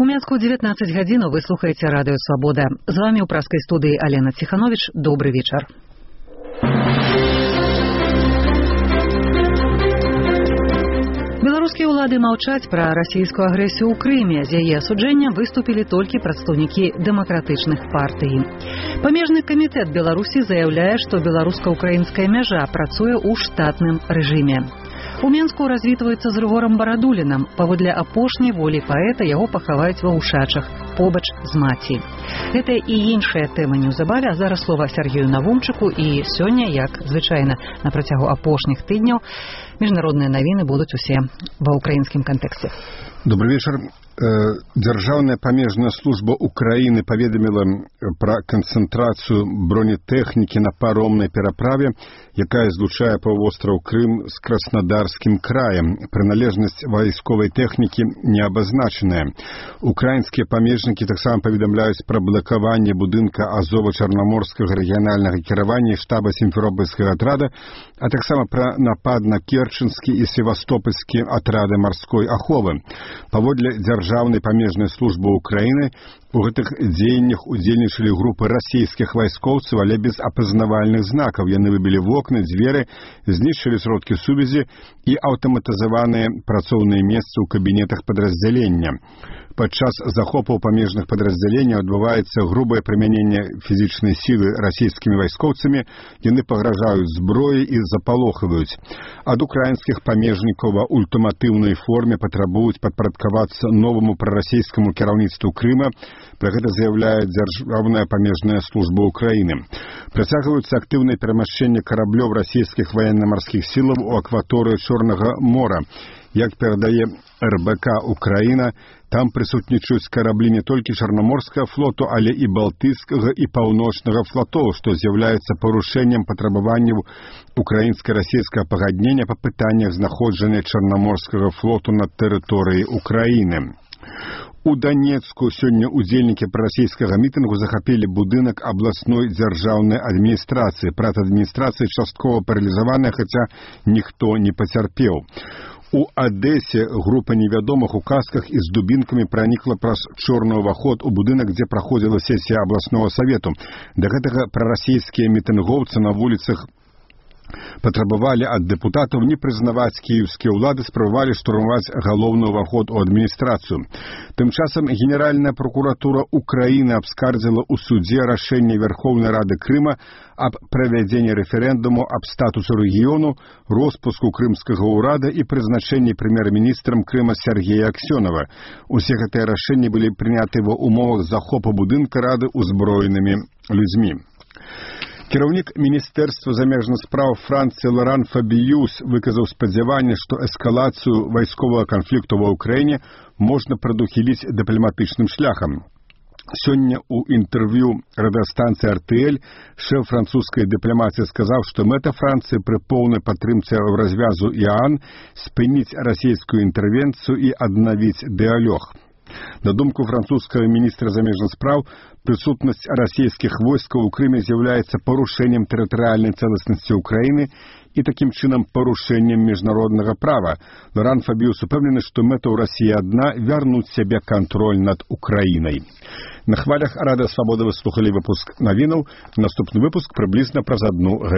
У Мінску 19 гадзін вы слухаеце радыё Свабода. З вами ў праскай студыі Алена Ціханович. Добры вечар. Беларускія ўлады маўчаць пра расійскую агрэсію ў Крыме. З яе асуджэннем выступілі толькі прадстаўнікі дэмакратычных партый. Памежны камітэт Беларусі заяўляе, што беларуска-украінская мяжа працуе ў штатным рэжыме. У Мінску развітваюцца з Рыгорам Барадулінам. Паводле апошняй волі паэта яго пахаваюць ва Ўшачах, побач з маці. Гэта і іншая тэма неўзабаве, а зараз слова Сергею Навумчыку. І сёння, як звычайна на працягу апошніх тыдняў, міжнародныя навіны будуць усе ва ўкраінскім кантэксце. Добрый вечер. Дзяржаўная памежная служба Украины паведаміла пра канцэнтрацыю бронетэхнікі на паромнай пераправе, якая злучае паўвостраў Крым з Краснодарскім краем. Прыналежнасць вайсковай тэхнікі не абазначаная. Украінскія памежнікі таксама паведамляюць пра блакаванне будынка Азова-Чарнаморскага рэгіянальнага кіравання і штаба сімферопольскага атрада, а таксама пра напад на керченскі і севастопольскі атрады марской аховы. Паводле дзяржаўнай памежнай службы Украины у гэтых дзеяннях удзельнічалі групы расійскіх вайскоўцаў, але без апазнавальных знакаў. Яны выбілі вокны, дзверы, знішчылі сродкі сувязі і аўтаматызаваныя працоўныя месцы ў кабінетах падраздзялення. Падчас захопаў памежных падраздзяленняў адбываецца грубае прымяненне фізічнай сілы расійскімі вайскоўцамі, яны пагражаюць зброяй і запалохваюць. Ад украінскіх памежнікаў ва ультыматыўнай форме патрабуюць падпарадкавацца новаму прарасійскаму кіраўніцтву Крыма. Пра гэта заяўляе дзяржаўная памежная служба Украины. Працягваюцца актыўнае перамяшчэнне караблёў расійскіх ваенна-марскіх сілаў у акваторыі Чорнага мора. Як перадае РБК Украина, там прысутнічаюць караблі не толькі Чарнаморскага флоту, але і Балтыйскага і Паўночнага флотоў, што з'яўляецца парушэннем патрабаванняў украінска-расійскага пагаднення па пытаннях знаходжання Чарнаморскага флоту на тэрыторыі Украины. У Донецку сёння удзельнікі прарасійскага мітынгу захапілі будынак абласной дзяржаўнай адміністрацыі. Пратадміністрацыя часткова паралізаваная, хаця ніхто не пацярпеў. У Адэсе група невядомых у касках і з дубінкамі пранікла праз чорны ўваход у будынак, дзе праходзіла сесія абласнога савету. Да гэтага прарасійскія мітынгоўцы на вуліцах патрабавалі ад дэпутатаў не прызнаваць кіеўскія ўлады, спрабавалі штурмаваць галоўны ўваход у адміністрацыю. Тым часам Генеральная прокуратура Украины абскардзіла ў судзе рашэнне Верховнай Рады Крыма аб правядзенні рэферэндуму аб статусу рэгіёну, роспуску крымскага ўрада і прызначэнні прэм'ер-міністрам Крыма Сергея Аксёнова. Усе гэтыя рашэнні былі прыняты ва ўмовах захопу будынка Рады ўзброенымі людзьмі. Кіраўнік Міністэрства замежных спраў Францыі Лоран Фабіюс выказаў спадзяванне, што эскалацыю вайсковага канфлікту ва ўкраіне можна прадухіліць дыпламатычным шляхам. Сёння ў інтэрв'ю радыёстанцыі RTL шэф французскай дыпламатыі сказаў, што мэта Францыі пры поўнай падтрымцы развязу ІАН спыніць расійскую інтэрвенцыю і аднавіць дыялог. На думку французскага міністра замежных спраў, прысутнасць расійскіх войскаў у Крыме з'яўляецца парушэннем тэрытарыяльнай цэласнасці Украины і такім чынам парушэннем міжнароднага права. Лоран Фабіюс упэўнены, што мэта ў Расіі адна — вярнуць сябе кантроль над Украінай. На хвалях Радыё Свабода вы слухалі выпуск навінаў. Наступны выпуск прыблізна праз 1 гадзіну.